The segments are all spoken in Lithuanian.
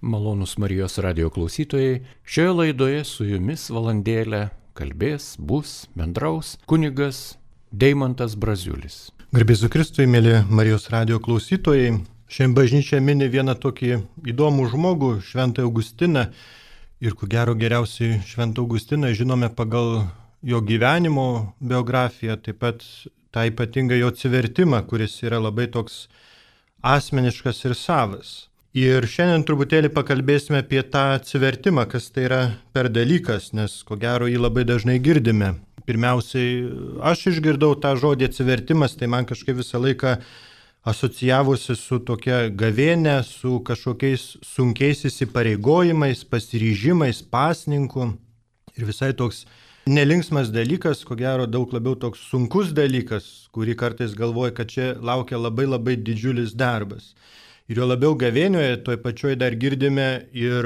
Malonūs Marijos radio klausytojai, šioje laidoje su jumis valandėlę kalbės, bendraus kunigas Deimantas Braziulis. Garbėzu Kristui, mėly Marijos radio klausytojai, šiandien bažnyčia mini vieną tokį įdomų žmogų, Šventąjį Augustiną. Ir ko gero geriausiai Šventą Augustiną žinome pagal jo gyvenimo biografiją, taip pat tą ypatingą jo atsivertimą, kuris yra labai toks asmeniškas ir savas. Ir šiandien truputėlį pakalbėsime apie tą atsivertimą, kas tai yra per dalykas, nes ko gero jį labai dažnai girdime. Pirmiausiai, aš išgirdau tą žodį atsivertimas, tai man kažkaip visą laiką asocijavosi su tokia gavėne, su kažkokiais sunkiais įsipareigojimais, pasiryžimais, pasninku. Ir visai toks nelinksmas dalykas, ko gero daug labiau toks sunkus dalykas, kurį kartais galvoja, kad čia laukia labai didžiulis darbas. Ir jo labiau gavėnioje, toj pačioj dar girdime ir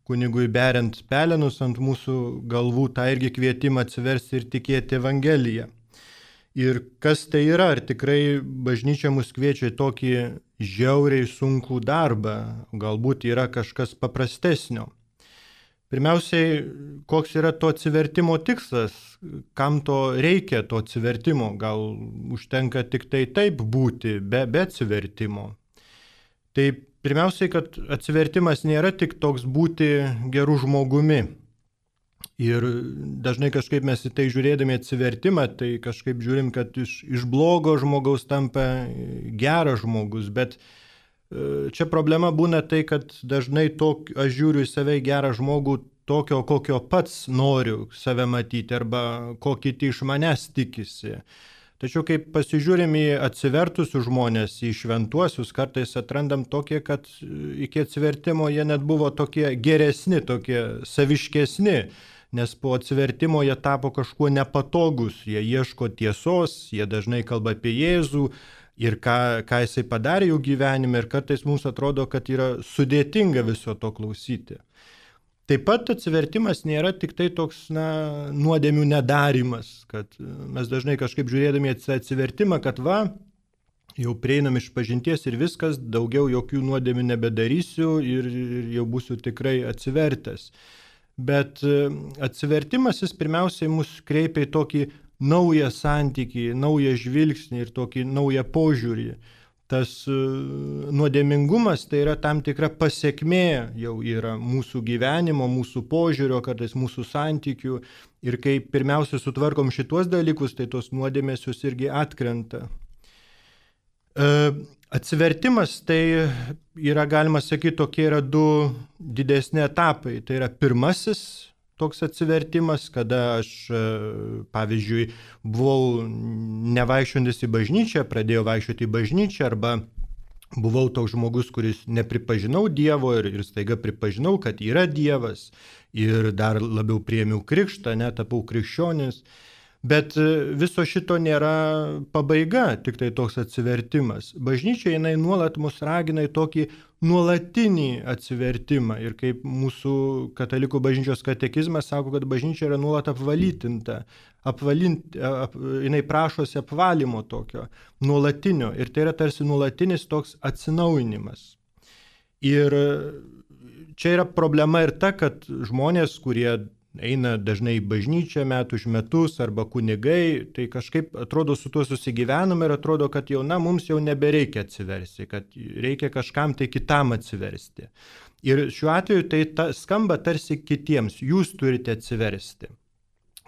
kunigui beriant pelenus ant mūsų galvų, tą irgi kvietimą atsiversti ir tikėti Evangeliją. Ir kas tai yra, ar tikrai bažnyčia mus kviečia į tokį žiauriai sunkų darbą, galbūt yra kažkas paprastesnio. Pirmiausiai, koks yra to atsivertimo tikslas, kam to reikia to atsivertimo, gal užtenka tik tai taip būti, be atsivertimo. Tai pirmiausiai, kad atsivertimas nėra tik toks būti gerų žmogumi. Ir dažnai kažkaip mes į tai žiūrėdami atsivertimą, tai kažkaip žiūrim, kad iš blogo žmogaus tampa geras žmogus. Bet čia problema būna tai, kad dažnai aš žiūriu į save gerą žmogų tokio, kokio pats noriu save matyti arba ko kiti iš manęs tikisi. Tačiau kai pasižiūrim į atsivertusius žmonės, į šventuosius, kartais atrandam tokie, kad iki atsivertimo jie net buvo tokie geresni, tokie saviškesni, nes po atsivertimo jie tapo kažkuo nepatogus, jie ieško tiesos, jie dažnai kalba apie Jėzų ir ką jisai padarė jų gyvenime ir kartais mums atrodo, kad yra sudėtinga viso to klausyti. Taip pat atsivertimas nėra tik tai toks nuodėmių nedarimas, kad mes dažnai kažkaip žiūrėdami atsivertimą, kad jau prieinam iš pažinties ir viskas, daugiau jokių nuodėmių nebedarysiu ir jau būsiu tikrai atsivertęs. Bet atsivertimas jis pirmiausiai mus kreipia į tokį naują santykį, naują žvilgsnį ir tokį naują požiūrį. Tas nuodėmingumas tai yra tam tikra pasekmė jau yra mūsų gyvenimo, mūsų požiūrio, kartais mūsų santykių. Ir kai pirmiausia sutvarkom šitos dalykus, tai tos nuodėmės jos irgi atkrenta. Atsivertimas tai yra, galima sakyti, tokie yra du didesni etapai. Tai yra pirmasis toks atsivertimas, kada aš, pavyzdžiui, buvau nevaikščiojantis į bažnyčią, pradėjau vaikščioti į bažnyčią, arba buvau toks žmogus, kuris nepripažinau Dievo ir staiga pripažinau, kad yra Dievas ir dar labiau priėmiau krikštą, tapau krikščionis. Bet viso šito nėra pabaiga, tik tai toks atsivertimas. Bažnyčia jinai nuolat mus ragina į tokį nuolatinį atsivertimą. Ir kaip mūsų katalikų bažnyčios katekizmas sako, kad bažnyčia yra nuolat apvalytinta. Jinai prašosi apvalymo tokio, nuolatinio. Ir tai yra tarsi nuolatinis toks atsinaujinimas. Ir čia yra problema ir ta, kad žmonės, kurie eina dažnai į bažnyčią metų iš metus arba kunigai, tai kažkaip atrodo su tuo susigyvename ir atrodo, kad jau mums jau nebereikia atsiversti, kad reikia kažkam tai kitam atsiversti. Ir šiuo atveju tai skamba tarsi kitiems, jūs turite atsiversti.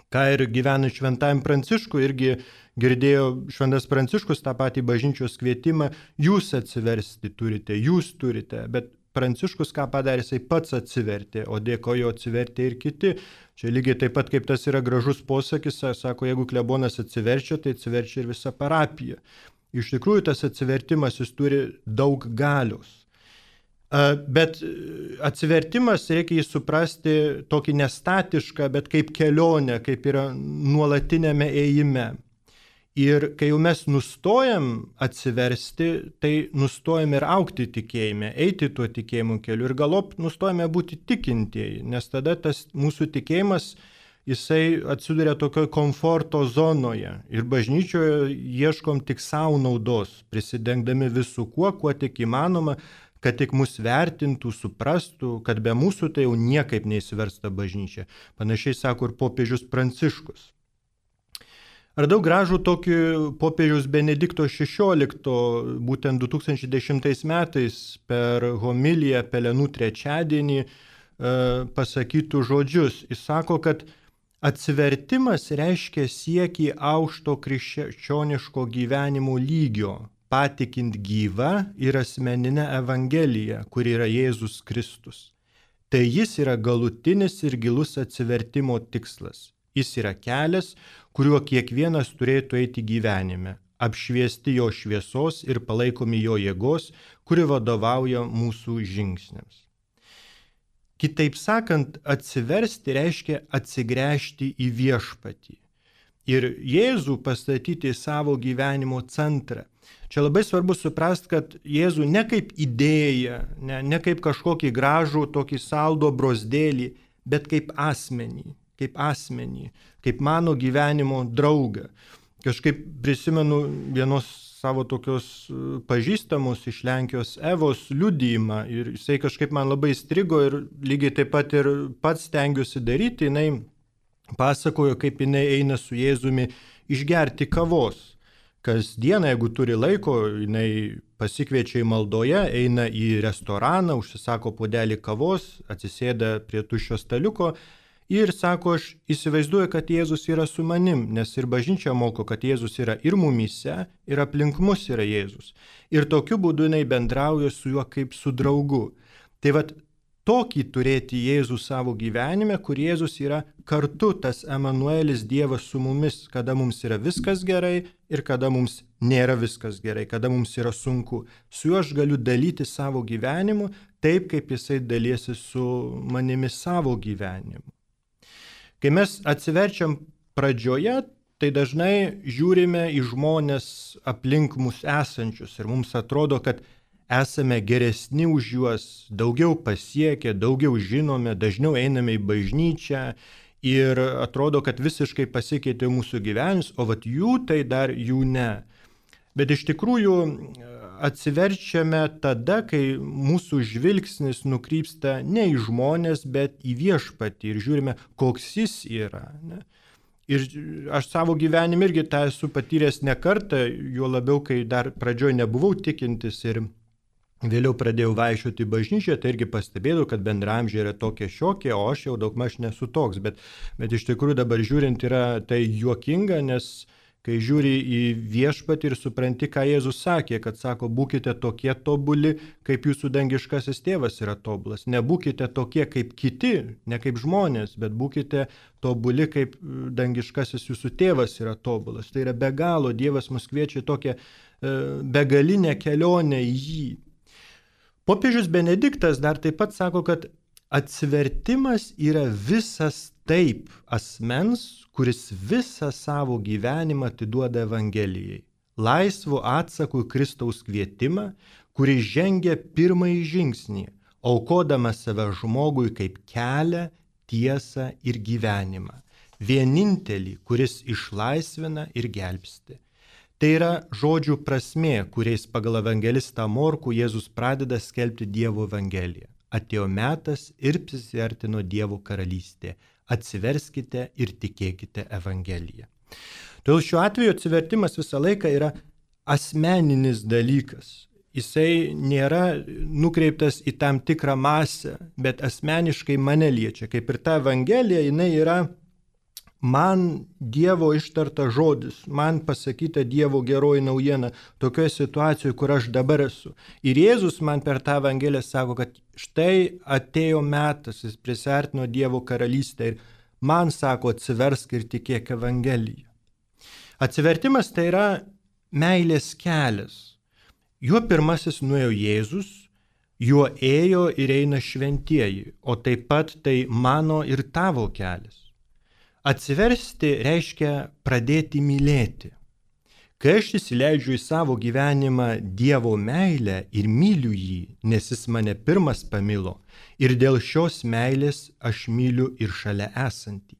Ką ir gyvenant Šventajam Pranciškui, irgi girdėjo Šventas Pranciškus tą patį bažnyčios kvietimą, jūs atsiversti turite, bet Pranciškus ką padarė, jisai pats atsivertė, o dėkojo atsivertė ir kiti. Čia lygiai taip pat kaip tas yra gražus posakis, sako, jeigu klebonas atsiverčia, tai atsiverčia ir visa parapija. Iš tikrųjų, tas atsivertimas jis turi daug galios. Bet atsivertimas reikia jį suprasti tokį nestatišką, bet kaip kelionę, kaip yra nuolatinėme ėjime. Ir kai jau mes nustojam atsiversti, tai nustojam ir augti tikėjime, eiti tuo tikėjimo keliu ir galop nustojame būti tikintieji, nes tada tas mūsų tikėjimas, jisai atsiduria tokioje komforto zonoje ir bažnyčioje ieškom tik savo naudos, prisidengdami visų kuo tik įmanoma, kad tik mus vertintų, suprastų, kad be mūsų tai jau niekaip neįsiversta bažnyčia. Panašiai sako ir popiežius Pranciškus. Radau gražų tokį popiežiaus Benedikto XVI, būtent 2010 metais per homiliją Pelenų trečiadienį pasakytų žodžius. Jis sako, kad atsivertimas reiškia siekį aukšto krikščioniško gyvenimo lygio, patikint gyvą ir asmeninę Evangeliją, kuri yra Jėzus Kristus. Tai jis yra galutinis ir gilus atsivertimo tikslas. Jis yra kelias, kuriuo kiekvienas turėtų eiti gyvenime, apšviesti jo šviesos ir palaikomi jo jėgos, kuri vadovauja mūsų žingsniams. Kitaip sakant, atsiversti reiškia atsigręžti į viešpatį ir Jėzų pastatyti į savo gyvenimo centrą. Čia labai svarbu suprasti, kad Jėzų ne kaip idėją, ne kaip kažkokį gražų, tokį saldo brosdėlį, bet kaip asmenį, kaip mano gyvenimo draugą. Kažkaip prisimenu vienos savo tokios pažįstamos iš Lenkijos Evos liudijimą ir jisai kažkaip man labai strigo ir lygiai taip pat ir pats stengiuosi daryti. Jinai pasakojo, kaip jinai eina su Jėzumi išgerti kavos. Kasdieną, jeigu turi laiko, jinai pasikviečia į maldoje, eina į restoraną, užsisako puodelį kavos, atsisėda prie tuščio staliuko ir sako, aš įsivaizduoju, kad Jėzus yra su manim, nes ir bažnyčia moko, kad Jėzus yra ir mumyse, ir aplink mus yra Jėzus. Ir tokiu būdu jinai bendrauja su juo kaip su draugu. Tai vat tokį turėti Jėzų savo gyvenime, kur Jėzus yra kartu tas Emanuelis, Dievas su mumis, kada mums yra viskas gerai ir kada mums nėra viskas gerai, kada mums yra sunku. Su juo aš galiu dalyti savo gyvenimu taip, kaip jisai dalysi su manimi savo gyvenimu. Kai mes atsiverčiam pradžioje, tai dažnai žiūrime į žmonės aplink mus esančius ir mums atrodo, kad esame geresni už juos, daugiau pasiekę, daugiau žinome, dažniau einame į bažnyčią ir atrodo, kad visiškai pasikeitė mūsų gyvenimas, o vat jų tai dar jų ne. Bet iš tikrųjų atsiverčiame tada, kai mūsų žvilgsnis nukrypsta ne į žmonės, bet į viešpatį ir žiūrime, koks jis yra. Ne? Ir aš savo gyvenime irgi tą esu patyręs ne kartą, juo labiau, kai dar pradžioj nebuvau tikintis ir vėliau pradėjau vaikščioti į bažnyčią, tai irgi pastebėjau, kad bendramžiai yra tokie šiokie, o aš jau daugmaž nesu toks. Bet iš tikrųjų dabar žiūrint yra tai juokinga, nes kai žiūri į viešpatį ir supranti, ką Jėzus sakė, kad sako, būkite tokie tobuli, kaip jūsų dangiškasis tėvas yra tobulas. Nebūkite tokie kaip kiti, ne kaip žmonės, bet būkite tobuli, kaip dangiškasis jūsų tėvas yra tobulas. Tai yra be galo, Dievas mus kviečia į tokią begalinę kelionę į jį. Popiežius Benediktas dar taip pat sako, kad atsivertimas yra visas taip asmens, kuris visą savo gyvenimą atiduoda Evangelijai, laisvu atsaku į Kristaus kvietimą, kuris žengia pirmąjį žingsnį, aukodamas save žmogui kaip kelią, tiesą ir gyvenimą, vienintelį, kuris išlaisvina ir gelbsti. Tai yra žodžių prasmė, kuriais pagal evangelistą Morkų Jėzus pradeda skelbti Dievo Evangeliją. Atėjo metas ir prisiartino Dievo karalystė. Atsiverskite ir tikėkite Evangeliją. Todėl šiuo atveju atsivertimas visą laiką yra asmeninis dalykas. Jisai nėra nukreiptas į tam tikrą masę, bet asmeniškai mane liečia. Kaip ir ta Evangelija, jinai yra man Dievo ištarta žodis, man pasakyta Dievo geroji naujiena tokioje situacijoje, kur aš dabar esu. Ir Jėzus man per tą Evangeliją sako, kad štai atėjo metas, jis prisiartino Dievo karalystę ir man sako, atsiversk ir tikėk Evangeliją. Atsivertimas tai yra meilės kelias. Juo pirmasis nuėjo Jėzus, juo ėjo ir eina šventieji, o taip pat tai mano ir tavo kelias. Atsiversti reiškia pradėti mylėti. Kai aš įsileidžiu į savo gyvenimą Dievo meilę ir myliu jį, nes jis mane pirmas pamilo, ir dėl šios meilės aš myliu ir šalia esantį.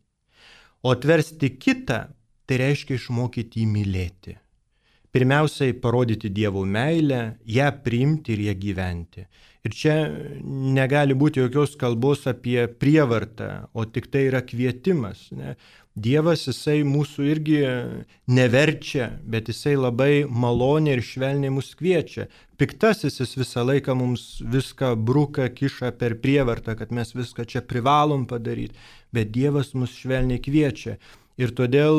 O atversti kitą, tai reiškia išmokyti jį mylėti. Pirmiausiai parodyti Dievo meilę, ją priimti ir ją gyventi. Ir čia negali būti jokios kalbos apie prievartą, o tik tai yra kvietimas. Ne? Dievas, jisai mūsų irgi neverčia, bet jisai labai maloniai ir švelniai mus kviečia. Piktasis jis visą laiką mums viską bruka, kiša per prievartą, kad mes viską čia privalom padaryti, bet Dievas mus švelniai kviečia. Ir todėl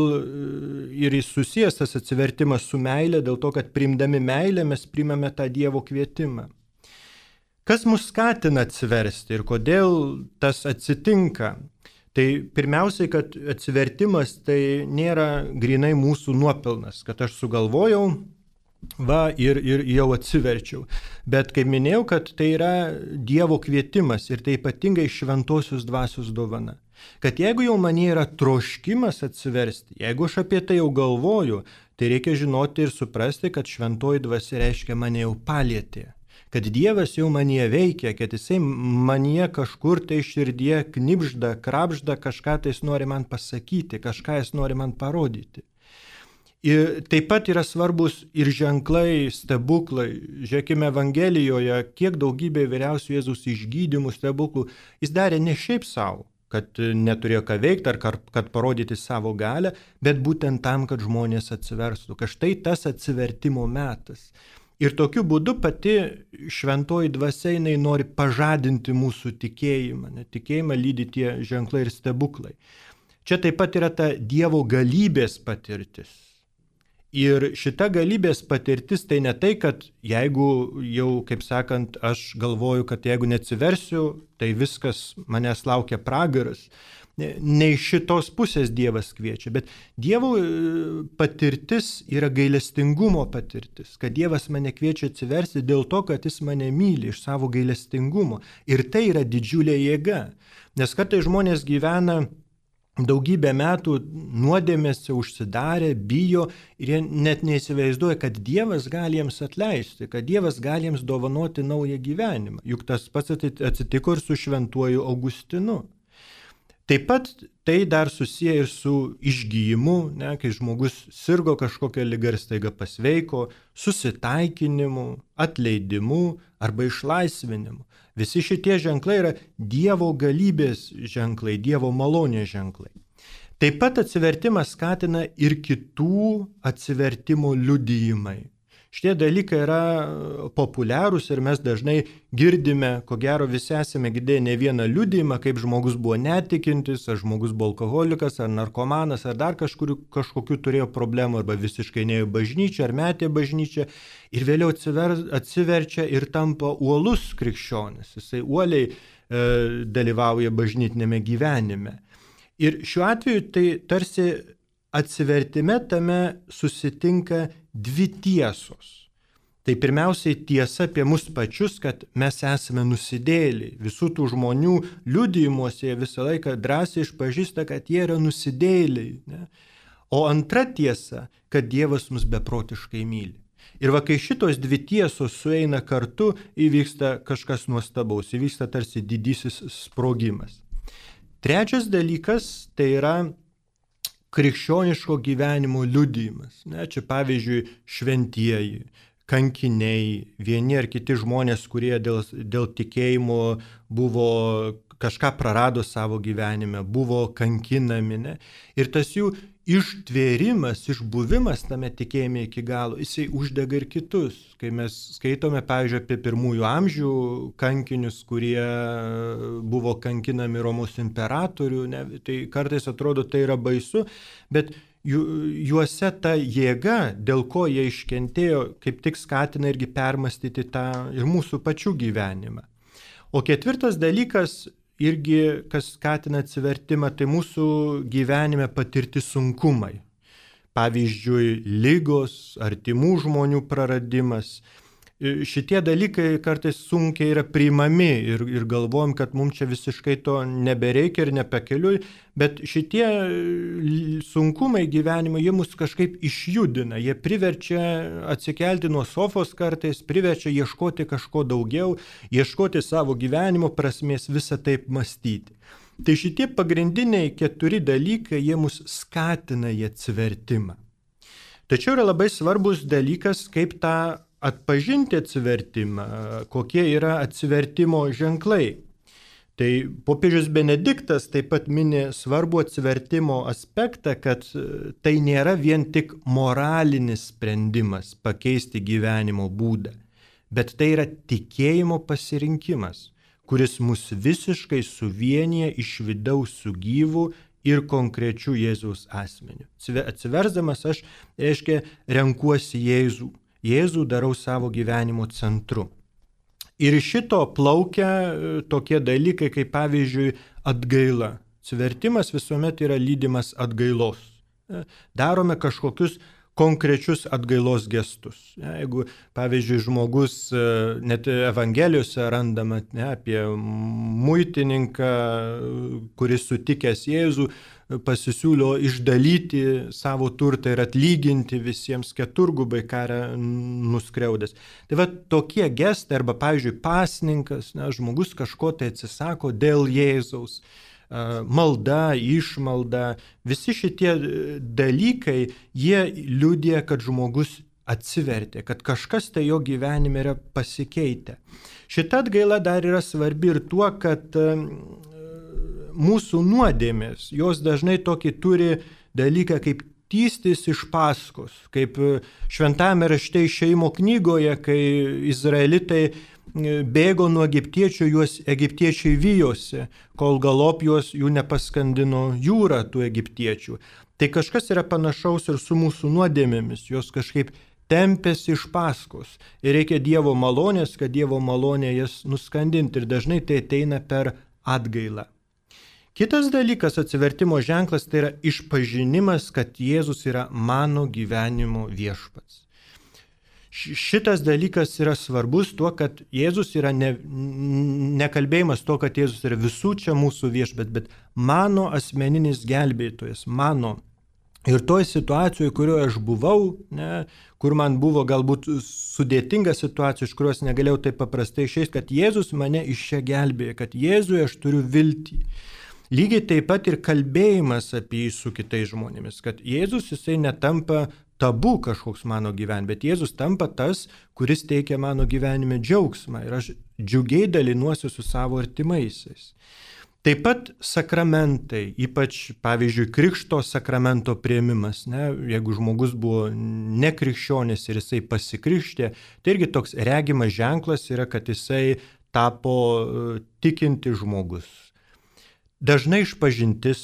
ir susijęs tas atsivertimas su meilė, dėl to, kad priimdami meilę mes priimame tą Dievo kvietimą. Kas mus skatina atsiversti ir kodėl tas atsitinka? Tai pirmiausiai, kad atsivertimas tai nėra grinai mūsų nuopelnas, kad aš sugalvojau, ir jau atsiverčiau. Bet kaip minėjau, kad tai yra Dievo kvietimas ir tai ypatingai šventosios dvasios dovana. Kad jeigu jau man yra troškimas atsiversti, jeigu aš apie tai jau galvoju, tai reikia žinoti ir suprasti, kad šventoji dvasia reiškia mane jau palietė. Kad Dievas jau manyje veikia, kad jisai manyje kažkur tai širdyje knibžda, krapžda, kažką tai jis nori man pasakyti, kažką jis nori man parodyti. Ir taip pat yra svarbus ir ženklai, stebuklai. Žiūrėkime Evangelijoje, kiek daugybė įvairiausių Jėzaus išgydymų, stebuklų jis darė ne šiaip savo, kad neturėjo ką veikti ar kad parodyti savo galią, bet būtent tam, kad žmonės atsiverstų. Kad štai tas atsivertimo metas. Ir tokiu būdu pati šventoji dvasia jinai nori pažadinti mūsų tikėjimą. Tikėjimą lydi tie ženklai ir stebuklai. Čia taip pat yra ta Dievo galybės patirtis. Ir šita galybės patirtis tai ne tai, kad jeigu jau, kaip sakant, aš galvoju, kad jeigu neatsiversiu, tai viskas manęs laukia pragaras. Ne iš šitos pusės Dievas kviečia, bet Dievo patirtis yra gailestingumo patirtis, kad Dievas mane kviečia atsiversti dėl to, kad jis mane myli iš savo gailestingumo. Ir tai yra didžiulė jėga, nes kartais žmonės gyvena daugybę metų nuodėmėse užsidarę, bijo ir jie net neįsivaizduoja, kad Dievas gali jiems atleisti, kad Dievas gali jiems dovanoti naują gyvenimą. Juk tas pats atsitiko ir su šventuoju Augustinu. Taip pat tai dar susiję ir su išgyjimu, kai žmogus sirgo kažkokią ligą ir staiga pasveiko, susitaikinimu, atleidimu arba išlaisvinimu. Visi šitie ženklai yra Dievo galybės ženklai, Dievo malonės ženklai. Taip pat atsivertimas skatina ir kitų atsivertimo liudijimai. Šitie dalykai yra populiarūs ir mes dažnai girdime, ko gero visi esame girdėję ne vieną liudijimą, kaip žmogus buvo netikintis, ar žmogus buvo alkoholikas, ar narkomanas, ar dar kažkokių turėjo problemų, arba visiškai neėjo bažnyčią, ar metė bažnyčią, ir vėliau atsiverčia ir tampa uolus krikščionis. Jisai uoliai dalyvauja bažnytinėme gyvenime. Ir šiuo atveju tai tarsi atsivertime tame susitinka dvi tiesos. Tai pirmiausiai tiesa apie mus pačius, kad mes esame nusidėjėliai. Visų tų žmonių liudijimuose jie visą laiką drąsiai išpažįsta, kad jie yra nusidėjėliai. Ne? O antra tiesa, kad Dievas mus beprotiškai myli. Ir va, kai šitos dvi tiesos sueina kartu, įvyksta kažkas nuostabaus, įvyksta tarsi didysis sprogimas. Trečias dalykas tai yra krikščioniško gyvenimo liudijimas. Čia pavyzdžiui šventieji, kankiniai, vieni ar kiti žmonės, kurie dėl tikėjimo buvo kažką prarado savo gyvenime, buvo kankinami. Ne? Ir tas jų ištvėrimas, išbuvimas tame tikėjime iki galo, jisai uždega ir kitus. Kai mes skaitome, pavyzdžiui, apie pirmųjų amžių kankinius, kurie buvo kankinami Romos imperatorių, ne, tai kartais atrodo tai yra baisu, bet juose ta jėga, dėl ko jie iškentėjo, kaip tik skatina irgi permastyti tą ir mūsų pačių gyvenimą. O ketvirtas dalykas, irgi, kas skatina atsivertimą, tai mūsų gyvenime patirti sunkumai. Pavyzdžiui, ligos, artimų žmonių praradimas. Šitie dalykai kartais sunkiai yra priimami ir galvojam, kad mums čia visiškai to nebereikia ir nepakeliui, bet šitie sunkumai gyvenimo, jie mus kažkaip išjudina, jie priverčia atsikelti nuo sofos kartais, priverčia ieškoti kažko daugiau, ieškoti savo gyvenimo prasmės, visą taip mąstyti. Tai šitie pagrindiniai 4 dalykai, jie mus skatina į atsivertimą. Tačiau yra labai svarbus dalykas, kaip tą atpažinti atsivertimą, kokie yra atsivertimo ženklai. Tai popiežius Benediktas taip pat mini svarbų atsivertimo aspektą, kad tai nėra vien tik moralinis sprendimas pakeisti gyvenimo būdą, bet tai yra tikėjimo pasirinkimas, kuris mus visiškai suvienyje iš vidaus su gyvu ir konkrečiu Jėzaus asmeniu. Atsiversdamas aš, reiškia, renkuosi Jėzų. Jėzų darau savo gyvenimo centru. Ir iš šito plaukia tokie dalykai, kaip pavyzdžiui atgaila. Atsivertimas visuomet yra lydimas atgailos. Darome kažkokius konkrečius atgailos gestus. Jeigu, pavyzdžiui, žmogus net Evangelijose randama apie muitininką, kuris sutikęs Jėzų, pasisiūlio išdalyti savo turtą ir atlyginti visiems keturgubai karą nuskriaudęs. Tai va tokie gestai, arba, pavyzdžiui, pasninkas, žmogus kažko tai atsisako dėl Jėzaus. Malda, išmalda, visi šitie dalykai, jie liudija, kad žmogus atsivertė, kad kažkas tai jo gyvenime yra pasikeitę. Šita atgaila dar yra svarbi ir tuo, kad mūsų nuodėmės, jos dažnai tokį turi dalyką kaip tįstis iš paskos, kaip šventame rašte Išėjimo knygoje, kai izraelitai bėgo nuo egiptiečių, juos egiptiečiai vijosi, kol galop jų nepaskandino jūra tų egiptiečių. Tai kažkas yra panašaus ir su mūsų nuodėmėmis, jos kažkaip tempėsi iš paskos ir reikia Dievo malonės, kad Dievo malonė jas nuskandinti ir dažnai tai ateina per atgailą. Kitas dalykas, atsivertimo ženklas, tai yra išpažinimas, kad Jėzus yra mano gyvenimo viešpats. Šitas dalykas yra svarbus tuo, kad Jėzus yra nekalbėjimas to, kad Jėzus yra visų čia mūsų viešpats, bet mano asmeninis gelbėtojas, mano. Ir toj situacijoje, kurioje aš buvau, kur man buvo galbūt sudėtinga situacija, iš kurios negalėjau taip paprastai išeiti, kad Jėzus mane iš čia gelbėja, kad Jėzuje aš turiu viltį. Lygiai taip pat ir kalbėjimas apie jį su kitais žmonėmis, kad Jėzus jisai netampa tabu kažkoks mano gyvenime, bet Jėzus tampa tas, kuris teikia mano gyvenime džiaugsmą ir aš džiugiai dalinuosi su savo artimaisiais. Taip pat sakramentai, ypač, pavyzdžiui, krikšto sakramento priėmimas, jeigu žmogus buvo nekrikščionis ir jisai pasikrikštė, tai irgi toks regimas ženklas yra, kad jisai tapo tikinti žmogus. Dažnai išpažintis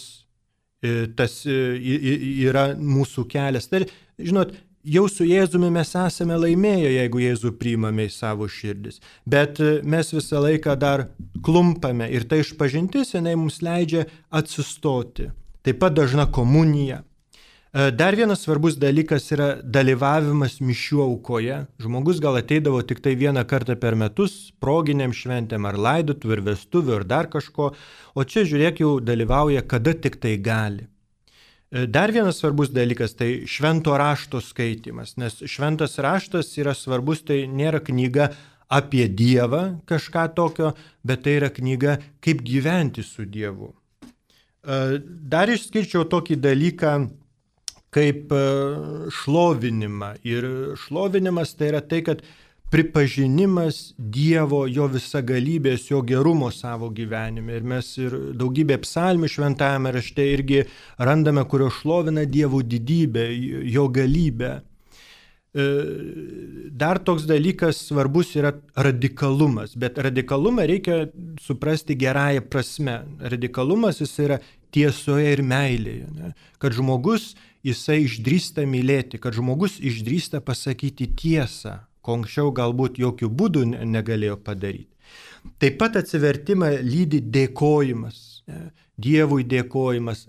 tas yra mūsų kelias. Tai, žinot, jau su Jėzumi mes esame laimėję, jeigu Jėzų priimame į savo širdis. Bet mes visą laiką dar klumpame ir ta išpažintis, jinai mums leidžia atsistoti. Taip pat dažna komunija. Dar vienas svarbus dalykas yra dalyvavimas mišių aukoje. Žmogus gal ateidavo tik tai vieną kartą per metus, proginiam šventėm ar laidotuvių ir vestuvių ir dar kažko, o čia žiūrėk jau dalyvauja kada tik tai gali. Dar vienas svarbus dalykas tai švento rašto skaitimas, nes šventas raštas yra svarbus, tai nėra knyga apie Dievą kažką tokio, bet tai yra knyga kaip gyventi su Dievu. Dar išskirčiau tokį dalyką kaip šlovinimą. Ir šlovinimas tai yra tai, kad pripažinimas Dievo, jo visagalybės, jo gerumo savo gyvenime. Ir mes ir daugybė psalmių šventajame rašte irgi randame, kurio šlovina Dievo didybę, jo galybę. Dar toks dalykas svarbus yra radikalumas, bet radikalumą reikia suprasti gerąją prasme. Radikalumas jis yra tiesoje ir meilėje, kad žmogus jisai išdrįsta mylėti, kad žmogus išdrįsta pasakyti tiesą, ko anksčiau galbūt jokių būdų negalėjo padaryti. Taip pat atsivertimą lydi dėkojimas, Dievui dėkojimas.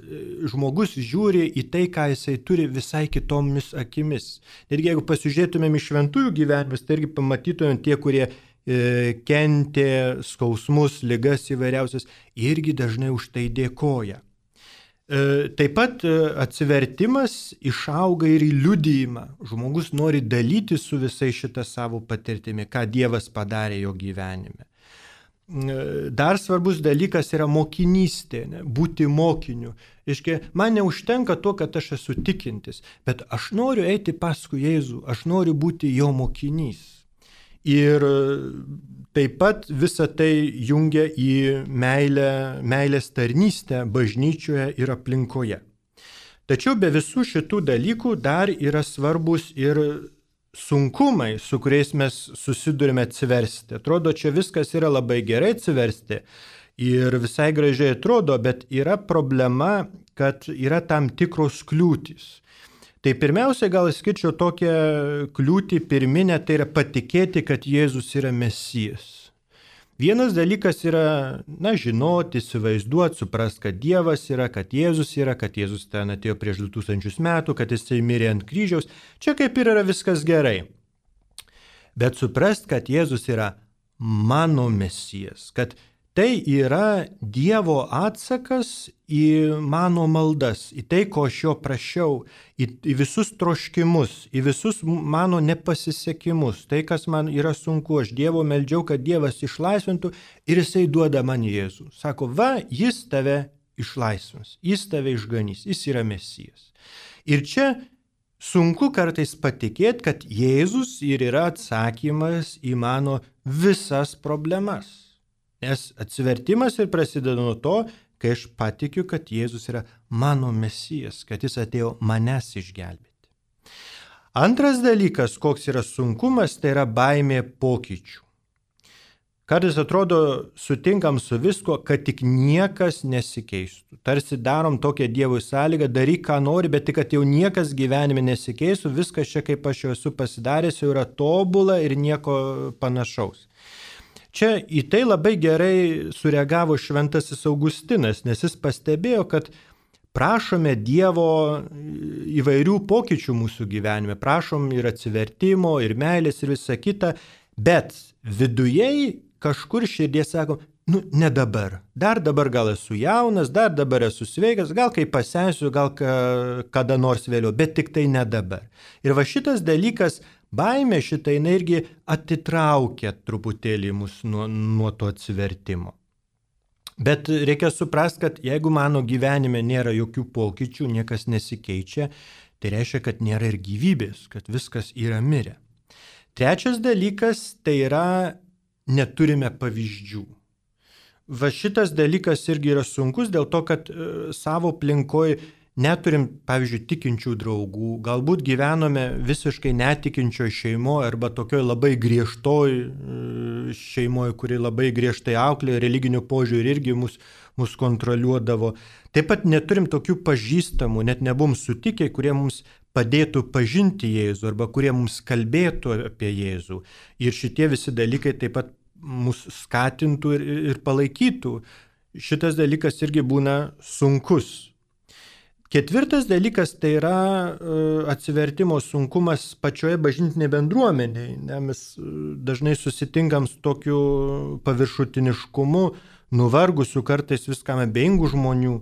Žmogus žiūri į tai, ką jisai turi visai kitomis akimis. Ir jeigu pasižiūrėtumėm į šventųjų gyvenimus, tai irgi pamatytumėm tie, kurie kentė skausmus, ligas įvairiausias, irgi dažnai už tai dėkoja. Taip pat atsivertimas išauga ir į liudijimą. Žmogus nori dalyti su visai šitą savo patirtimi, ką Dievas padarė jo gyvenime. Dar svarbus dalykas yra mokinystė, būti mokiniu. Iškia, man neužtenka to, kad aš esu tikintis, bet aš noriu eiti paskui Jėzų, aš noriu būti jo mokinys. Ir taip pat visa tai jungia į meilės tarnystę bažnyčioje ir aplinkoje. Tačiau be visų šitų dalykų dar yra svarbus ir sunkumai, su kuriais mes susidurime atsiversti. Atrodo, čia viskas yra labai gerai atsiversti ir visai gražiai atrodo, bet yra problema, kad yra tam tikros kliūtys. Tai pirmiausia, gal skirčiau tokią kliūtį pirminę, tai yra patikėti, kad Jėzus yra Mesijas. Vienas dalykas yra, žinoti, įsivaizduoti, suprasti, kad Dievas yra, kad Jėzus ten atėjo prieš 2000 metų, kad jisai mirė ant kryžiaus. Čia kaip ir yra viskas gerai. Bet suprasti, kad Jėzus yra mano Mesijas, kad tai yra Dievo atsakas į mano maldas, į tai, ko aš jo prašiau, į visus troškimus, į visus mano nepasisekimus, tai, kas man yra sunku, aš Dievo meldžiau, kad Dievas išlaisvintų ir jisai duoda man Jėzų. Sako, jis tave išlaisvins, jis tave išganys, jis yra Mesijas. Ir čia sunku kartais patikėti, kad Jėzus ir yra atsakymas į mano visas problemas. Nes atsivertimas ir prasideda nuo to, kai aš patikiu, kad Jėzus yra mano Mesijas, kad jis atėjo manęs išgelbėti. Antras dalykas, koks yra sunkumas, tai yra baimė pokyčių. Kartais atrodo, sutinkam su visko, kad tik niekas nesikeistų. Tarsi darom tokią Dievui sąlygą, daryk ką nori, bet tik, kad jau niekas gyvenime nesikeistų, viskas čia, kaip aš jau esu pasidaręs, jau yra tobula ir nieko panašaus. Čia į tai labai gerai sureagavo šventasis Augustinas, nes jis pastebėjo, kad prašome Dievo įvairių pokyčių mūsų gyvenime, prašom ir atsivertimo, ir meilės, ir visa kita, bet vidujei kažkur širdie sako, ne dabar, dar dabar gal esu jaunas, dar dabar esu sveikas, gal kai pasensiu, gal kada nors vėliau, bet tik tai ne dabar. Ir šitas dalykas, baimė šitą irgi atitraukia truputėlį mus nuo to atsivertimo. Bet reikia suprasti, kad jeigu mano gyvenime nėra jokių pokyčių, niekas nesikeičia, tai reiškia, kad nėra ir gyvybės, kad viskas yra mirę. Trečias dalykas tai yra neturime pavyzdžių. Šitas dalykas irgi yra sunkus dėl to, kad savo aplinkoje neturim, pavyzdžiui, tikinčių draugų, galbūt gyvenome visiškai netikinčioj šeimoje arba tokioj labai griežtoj šeimoje, kuri labai griežtai auklė, religinių požiūrį irgi mus kontroliuodavo. Taip pat neturim tokių pažįstamų, net nebuvom sutikę, kurie mums padėtų pažinti Jėzų arba kurie mums kalbėtų apie Jėzų. Ir šitie visi dalykai taip pat mus skatintų ir palaikytų. Šitas dalykas irgi būna sunkus. Ketvirtas dalykas tai yra atsivertimo sunkumas pačioje bažnytinėje bendruomenėje. Mes dažnai susitinkam su tokiu paviršutiniškumu, nuvargusiu kartais viskam abejingų žmonių,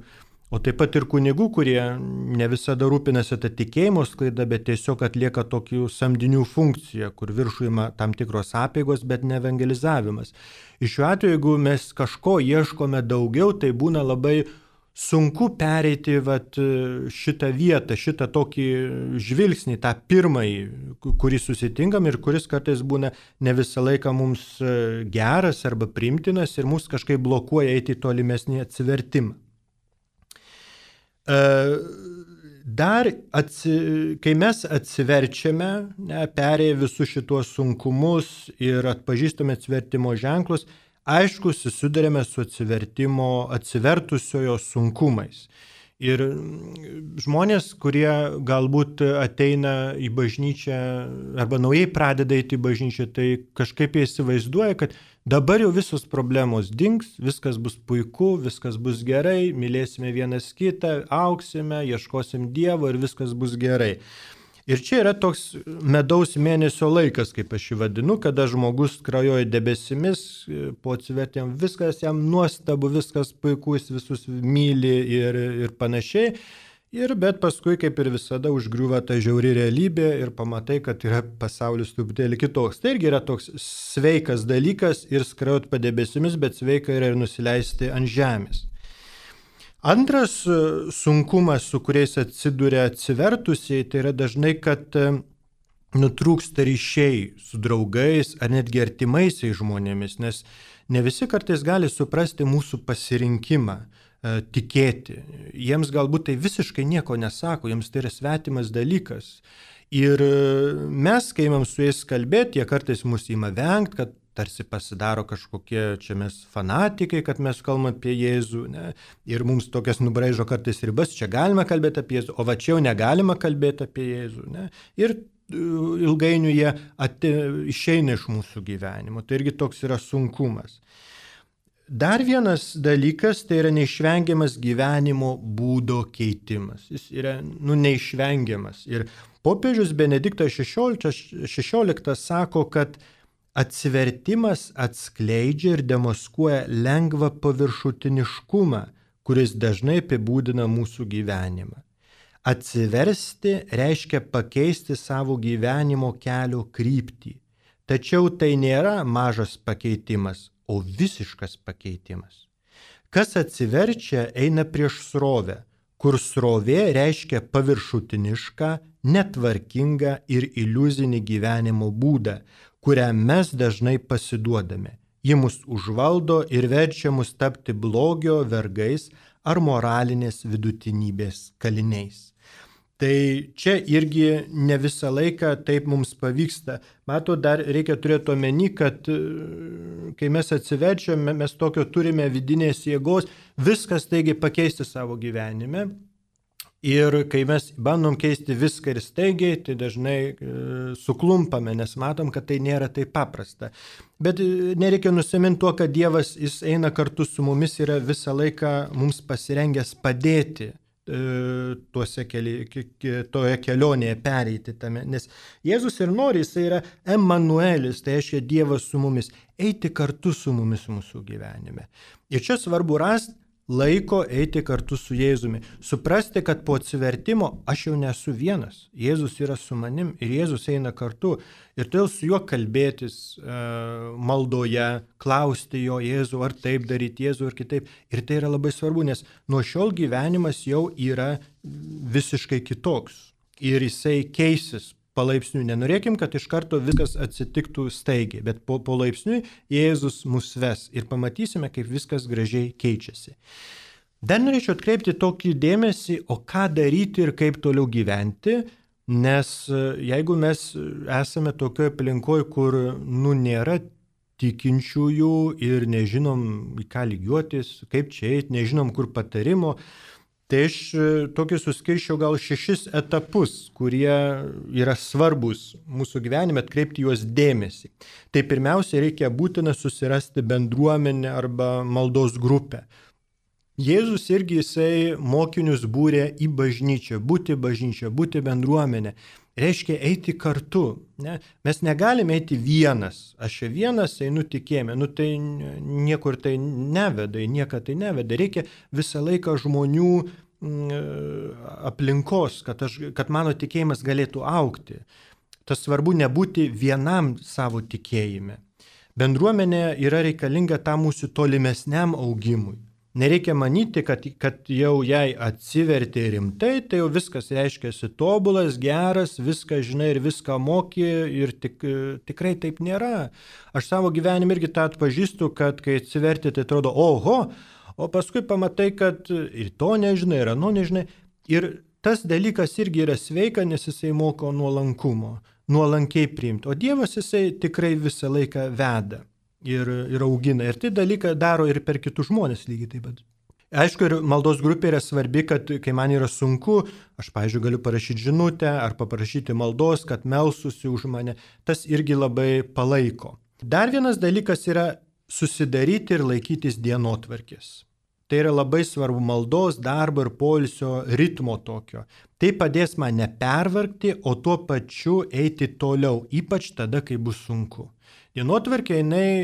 o taip pat ir kunigų, kurie ne visada rūpinasi tą tikėjimo sklaidą, bet tiesiog atlieka tokių samdinių funkciją, kur viršujama tam tikros apeigos, bet ne evangelizavimas. Ir šiuo atveju, jeigu mes kažko ieškome daugiau, tai būna labai sunku pereiti šitą vietą, šitą tokį žvilgsnį, tą pirmąjį, kurį susitinkam ir kuris kartais būna ne visą laiką mums geras arba priimtinas ir mus kažkaip blokuoja eiti į tolimesnį atsivertimą. Kai mes atsiverčiame, perėję visus šituos sunkumus ir atpažįstame atsivertimo ženklus, aišku, susidurėme su atsivertusiojo sunkumais. Ir žmonės, kurie galbūt ateina į bažnyčią arba naujai pradeda eiti į bažnyčią, tai kažkaip jie įsivaizduoja, kad dabar jau visos problemos dings, viskas bus puiku, viskas bus gerai, mylėsime vienas kitą, auksime, ieškosim Dievo ir viskas bus gerai. Ir čia yra toks medaus mėnesio laikas, kaip aš jį vadinu, kada žmogus skrajoja debesimis, po atsivertimo viskas jam nuostabu, viskas puiku, jis visus myli ir panašiai. Bet paskui, kaip ir visada, užgriūva ta žiauri realybė ir pamatai, kad yra pasaulis truputėlį kitoks. Tai irgi yra toks sveikas dalykas ir skrajoti po debesimis, bet sveika yra ir nusileisti ant žemės. Antras sunkumas, su kuriais atsiduria atsivertusiai, tai yra dažnai, kad nutrūksta ryšiai su draugais ar netgi artimaisiais žmonėmis, nes ne visi kartais gali suprasti mūsų pasirinkimą tikėti. Jiems galbūt tai visiškai nieko nesako, jiems tai yra svetimas dalykas. Ir mes, kai imam su jais kalbėti, jie kartais mus ima vengti, kad tarsi pasidaro kažkokie čia mes fanatikai, kad mes kalbam apie Jėzų, ne? Ir mums tokias nubraižo kartais ribas, čia galima kalbėti apie Jėzų, o va čia jau negalima kalbėti apie Jėzų. Ne? Ir ilgainiui jie išeina iš mūsų gyvenimo, tai irgi toks yra sunkumas. Dar vienas dalykas, tai yra neišvengiamas gyvenimo būdo keitimas. Jis yra neišvengiamas. Ir popiežius Benediktas XVI sako, kad atsivertimas atskleidžia ir demaskuoja lengvą paviršutiniškumą, kuris dažnai apibūdina mūsų gyvenimą. Atsiversti reiškia pakeisti savo gyvenimo kelio kryptį. Tačiau tai nėra mažas pakeitimas, o visiškas pakeitimas. Kas atsiverčia, eina prieš srovę, kur srovė reiškia paviršutinišką, netvarkingą ir iliuzinį gyvenimo būdą, kuriam mes dažnai pasiduodame. Ji mus užvaldo ir verčia mus tapti blogio vergais ar moralinės vidutinybės kaliniais. Tai čia irgi ne visą laiką taip mums pavyksta. Matot, dar reikia turėti omeny, kad kai mes atsiverčiame, mes tokio turime vidinės jėgos viskas staigiai pakeisti savo gyvenime. Ir kai mes bandom keisti viską ir staigiai, tai dažnai suklumpame, nes matom, kad tai nėra taip paprasta. Bet nereikia nusiminti tuo, kad Dievas, jis eina kartu su mumis, yra visą laiką mums pasirengęs padėti toje kelionėje pereiti tame. Nes Jėzus ir nori, jis yra Emanuelis, tai reiškia Dievas su mumis, eiti kartu su mumis mūsų gyvenime. Ir čia svarbu rasti laiko eiti kartu su Jėzumi. Suprasti, kad po atsivertimo aš jau nesu vienas. Jėzus yra su manim ir Jėzus eina kartu. Ir todėl su juo kalbėtis maldoje, klausti jo Jėzų, ar taip daryti Jėzų, ar kitaip. Ir tai yra labai svarbu, nes nuo šiol gyvenimas jau yra visiškai kitoks. Ir jisai keisis palaipsniui. Nenorėkim, kad iš karto viskas atsitiktų staigiai, bet po laipsniui Jėzus mus ves ir pamatysime, kaip viskas gražiai keičiasi. Dar norėčiau atkreipti tokį dėmesį, o ką daryti ir kaip toliau gyventi, nes jeigu mes esame tokioje aplinkoje, kur nėra tikinčiųjų ir nežinom, į ką lygiuotis, kaip čia eiti, nežinom, kur patarimo, tai aš tokį suskirčiau gal 6 etapus, kurie yra svarbus mūsų gyvenime, atkreipti juos dėmesį. Tai pirmiausia, reikia būtina susirasti bendruomenę arba maldos grupę. Jėzus irgi jisai mokinius būrė į bažnyčią, būti bendruomenė. Reiškia eiti kartu. Ne? Mes negalime eiti vienas. Aš čia vienas einu tikėjime. Tai niekur tai neveda, nieką tai neveda. Reikia visą laiką žmonių aplinkos, kad mano tikėjimas galėtų augti. Tas svarbu nebūti vienam savo tikėjime. Bendruomenė yra reikalinga tam mūsų tolimesniam augimui. Nereikia manyti, kad jau jai atsivertė rimtai, tai jau viskas reiškiasi tobulas, geras, viską žinai ir viską moki ir tikrai taip nėra. Aš savo gyvenime irgi tą atpažįstu, kad kai atsiverti, tai atrodo, oho, o paskui pamatai, kad ir to nežinai, ir ano nežinai. Ir tas dalykas irgi yra sveika, nes jisai moko nuolankumo, nuolankiai priimti. O Dievas jisai tikrai visą laiką veda. Ir augina. Ir tai dalyką daro ir per kitus žmonės lygiai taip pat. Aišku, ir maldos grupė yra svarbi, kad kai man yra sunku, aš, pavyzdžiui, galiu parašyti žinutę ar paprašyti maldos, kad melstųsi už mane. Tas irgi labai palaiko. Dar vienas dalykas yra susidaryti ir laikytis dienotvarkės. Tai yra labai svarbu maldos, darbo ir poilsio ritmo tokio. Tai padės man nepervargti, o tuo pačiu eiti toliau, ypač tada, kai bus sunku. Dienotvarkė,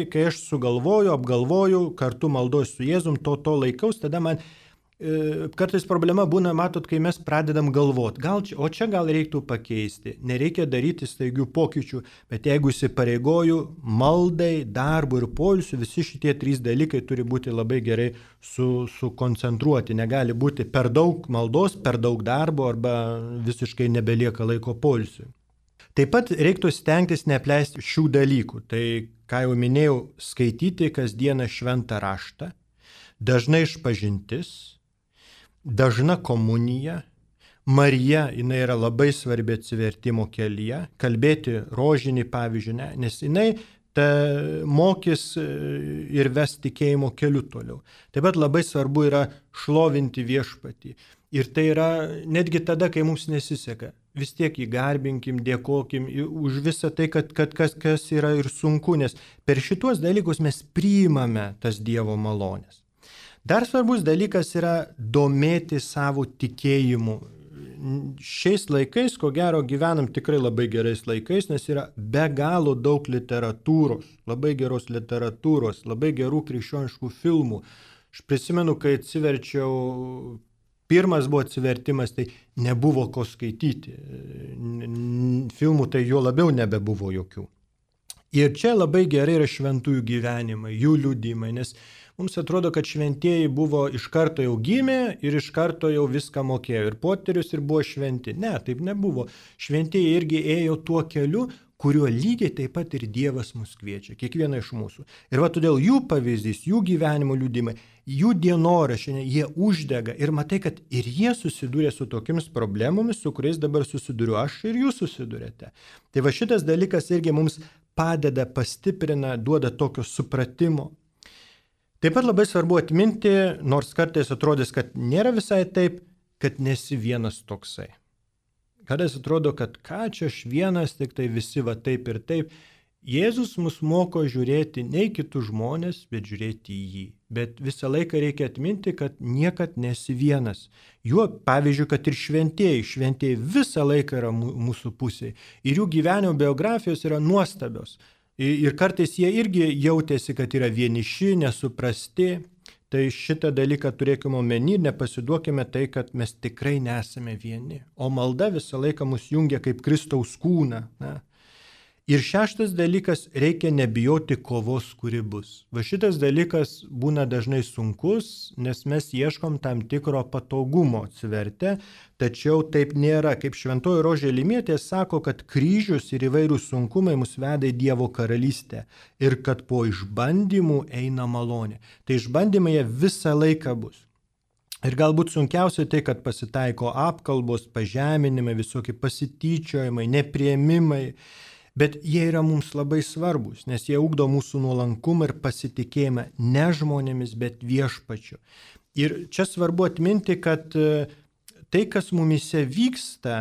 kai aš sugalvoju, apgalvoju, kartu maldoju su Jėzum, to laikaus, tada man kartais problema būna, matot, kai mes pradedam galvoti, o čia gal reiktų pakeisti, nereikia daryti staigių pokyčių, bet jeigu įsipareigoju maldai, darbui ir poilsiui, visi šitie 3 dalykai turi būti labai gerai sukoncentruoti, negali būti per daug maldos, per daug darbo arba visiškai nebelieka laiko poilsiui. Taip pat reiktų stengtis neapleisti šių dalykų. Tai, ką jau minėjau, skaityti kasdieną šventą raštą, dažnai išpažintis, dažna komunija. Marija, jinai yra labai svarbi atsivertimo kelyje, kalbėti rožinį, pavyzdžiui, nes jinai mokys ir ves tikėjimo keliu toliau. Taip pat labai svarbu yra šlovinti viešpatį. Ir tai yra netgi tada, kai mums nesiseka. Vis tiek jį garbinkim, dėkokim už visą tai, kas yra ir sunku, nes per šituos dalykus mes priimame tas Dievo malonės. Dar svarbus dalykas yra domėti savo tikėjimu. Šiais laikais, ko gero, gyvenam tikrai labai gerais laikais, nes yra be galo daug literatūros, labai geros literatūros, labai gerų krikščioniškų filmų. Aš prisimenu, kai atsiverčiau, pirmas buvo atsivertimas, tai nebuvo ko skaityti. Filmų tai jo labiau nebebuvo jokių. Ir čia labai gerai yra šventųjų gyvenimai, jų liudymai, nes mums atrodo, kad šventieji buvo iš karto jau gimę ir iš karto jau viską mokėjo. Ir poterius ir buvo šventi. Ne, taip nebuvo. Šventieji irgi ėjo tuo keliu, kuriuo lygiai taip pat ir Dievas mus kviečia, kiekvieną iš mūsų. Ir va todėl jų pavyzdys, jų gyvenimo liudymai, jų dienoraščiai, jie uždega ir matai, kad ir jie susidūrė su tokiamis problemomis, su kuriais dabar susiduriu aš ir jūs susidurėte. Tai va šitas dalykas irgi mums padeda, pastiprina, duoda tokio supratimo. Taip pat labai svarbu atminti, nors kartais atrodys, kad nėra visai taip, kad nesi vienas toksai. Kartais atrodo, kad ką čia aš vienas, tik tai visi va taip ir taip. Jėzus mus moko žiūrėti ne į kitus žmonės, bet žiūrėti į jį. Bet visą laiką reikia atminti, kad niekad nesi vienas. Juo, pavyzdžiui, kad ir šventieji visą laiką yra mūsų pusėje. Ir jų gyvenimo biografijos yra nuostabios. Ir kartais jie irgi jautėsi, kad yra vieniši, nesuprasti. Tai šitą dalyką turėkime omeny ir nepasiduokime tai, kad mes tikrai nesame vieni. O malda visą laiką mus jungia kaip Kristaus kūną. Na. Ir šeštas dalykas, reikia nebijoti kovos, kuri bus. Va šitas dalykas būna dažnai sunkus, nes mes ieškom tam tikro patogumo atsivertę, tačiau taip nėra. Kaip šventoji Rožė Limietė sako, kad kryžius ir įvairūs sunkumai mus veda į Dievo karalystę ir kad po išbandymų eina malonė. Tai išbandymai jie visą laiką bus. Ir galbūt sunkiausia tai, kad pasitaiko apkalbos, pažeminimai, visokie pasityčiojimai, nepriėmimai. Bet jie yra mums labai svarbus, nes jie ugdo mūsų nuolankumą ir pasitikėjimą ne žmonėmis, bet viešpačiu. Ir čia svarbu atminti, kad tai, kas mumise vyksta,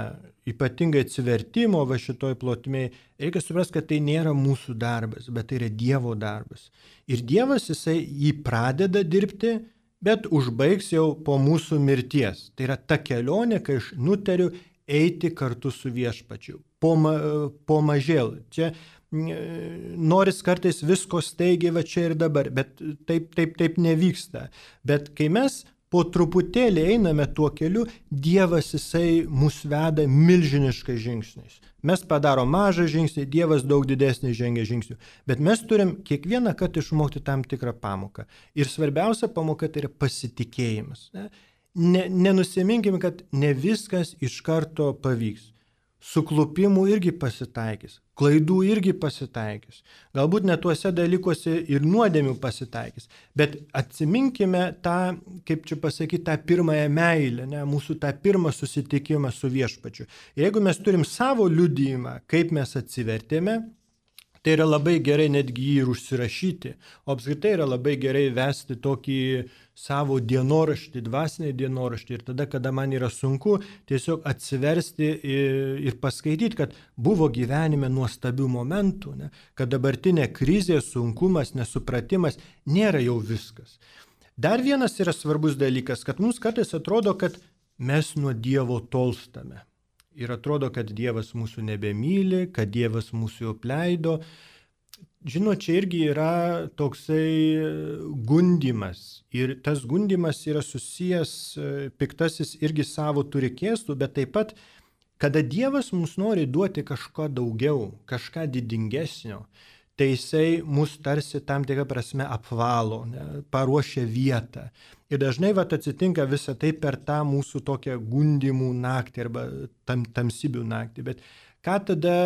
ypatingai atsivertimo va šitoj plotmėje, reikia suprasti, kad tai nėra mūsų darbas, bet tai yra Dievo darbas. Ir Dievas jisai jį pradeda dirbti, bet užbaigs jau po mūsų mirties. Tai yra ta kelionė, kai aš nutariu eiti kartu su viešpačiu. Po mažėl. Čia noris kartais visko staigiai va čia ir dabar, bet taip nevyksta. Bet kai mes po truputėlį einame tuo keliu, Dievas jisai mus veda milžiniškais žingsniais. Mes padarom mažą žingsnį, Dievas daug didesnį žengia žingsnių. Bet mes turim kiekvieną kartą išmokti tam tikrą pamoką. Ir svarbiausia pamoka tai yra pasitikėjimas. Nenusiminkime, kad ne viskas iš karto pavyks. Suklupimų irgi pasitaikys, klaidų irgi pasitaikys. Galbūt net tuose dalykuose ir nuodėmių pasitaikys. Bet atsiminkime tą, kaip čia pasakyti, tą pirmąją meilę, mūsų tą pirmą susitikimą su viešpačiu. Jeigu mes turim savo liudijimą, kaip mes atsivertėme, tai yra labai gerai netgi jį ir užsirašyti. O apskritai yra labai gerai vesti tokį savo dienoraštį, dvasinį dienoraštį. Ir tada, kada man yra sunku, tiesiog atsiversti ir paskaityti, kad buvo gyvenime nuostabių momentų, kad dabartinė krizė, sunkumas, nesupratimas nėra jau viskas. Dar vienas yra svarbus dalykas, kad mums kartais atrodo, kad mes nuo Dievo tolstame. Ir atrodo, kad Dievas mūsų nebemyli, kad Dievas mūsų jau apleido. Žinot, čia irgi yra toksai gundymas. Ir tas gundymas yra susijęs, piktasis irgi savo turi kėslų, bet taip pat, kada Dievas mums nori duoti kažką daugiau, kažką didingesnio, tai jisai mus tarsi tam tikrą prasme apvalo, paruošia vietą. Ir dažnai atsitinka visą tai per tą mūsų tokią gundymų naktį arba tamsybių naktį. Bet Ką tada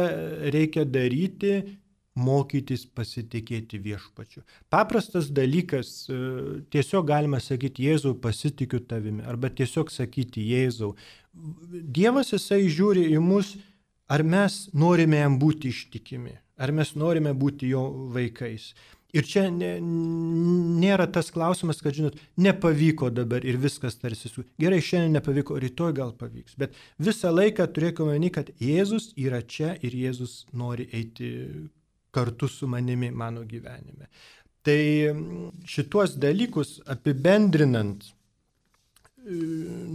reikia daryti? Mokytis pasitikėti viešpačiu. Paprastas dalykas, tiesiog galima sakyti, Jėzau, pasitikiu tavimi, arba tiesiog sakyti, Jėzau. Dievas jisai žiūri į mus, ar mes norime jam būti ištikimi, ar mes norime būti jo vaikais. Ir čia nėra tas klausimas, kad, žinot, nepavyko dabar ir viskas tarsi gerai, šiandien nepavyko, rytoj gal pavyks. Bet visą laiką turėkime omeny, kad Jėzus yra čia ir Jėzus nori eiti kartu su manimi mano gyvenime. Tai šituos dalykus apibendrinant,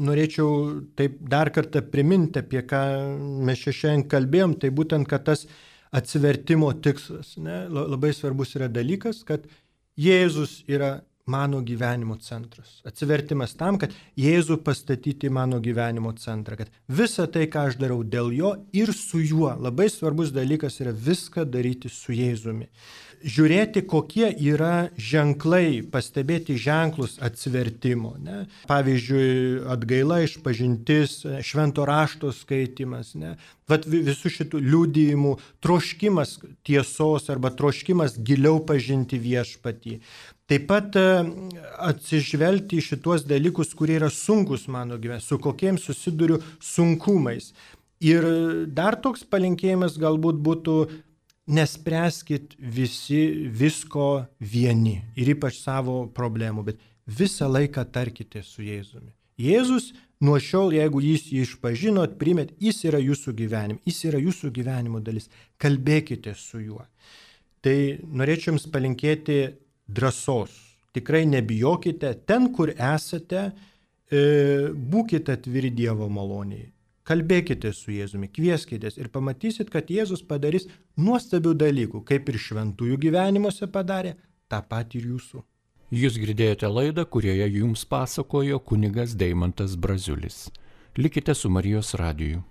norėčiau taip dar kartą priminti, apie ką mes šiandien kalbėjom, tai būtent, kad tas atsivertimo tikslas. Labai svarbus yra dalykas, kad Jėzus yra mano gyvenimo centras. Atsivertimas tam, kad Jėzų pastatyti mano gyvenimo centrą, kad visą tai, ką aš darau dėl jo ir su juo. Labai svarbus dalykas yra viską daryti su Jėzumi. Žiūrėti, kokie yra ženklai, pastebėti ženklus atsivertimo. Ne? Pavyzdžiui, atgaila, išpažintis, švento rašto skaitimas. Ne? Vat visų šitų liudijimų, troškimas tiesos arba troškimas giliau pažinti viešpatį. Taip pat atsižvelgti į šituos dalykus, kurie yra sunkus mano gyvenime, su kokiems susiduriu sunkumais. Ir dar toks palinkėjimas galbūt būtų, nespręskit visi visko vieni ir ypač savo problemų, bet visą laiką tarkite su Jėzumi. Jėzus nuo šiol, jeigu jūs jį išpažinot, primėt, jis yra jūsų gyvenime, jis yra jūsų gyvenimo dalis. Kalbėkite su juo. Tai norėčiau jums palinkėti drąsos. Tikrai nebijokite, ten, kur esate, būkite atviri Dievo maloniai. Kalbėkite su Jėzumi, kvieskitės ir pamatysit, kad Jėzus padarys nuostabių dalykų, kaip ir šventųjų gyvenimuose padarė, tą patį ir jūsų. Jūs girdėjote laidą, kurioje jums pasakojo kunigas Deimantas Braziulis. Likite su Marijos radiju.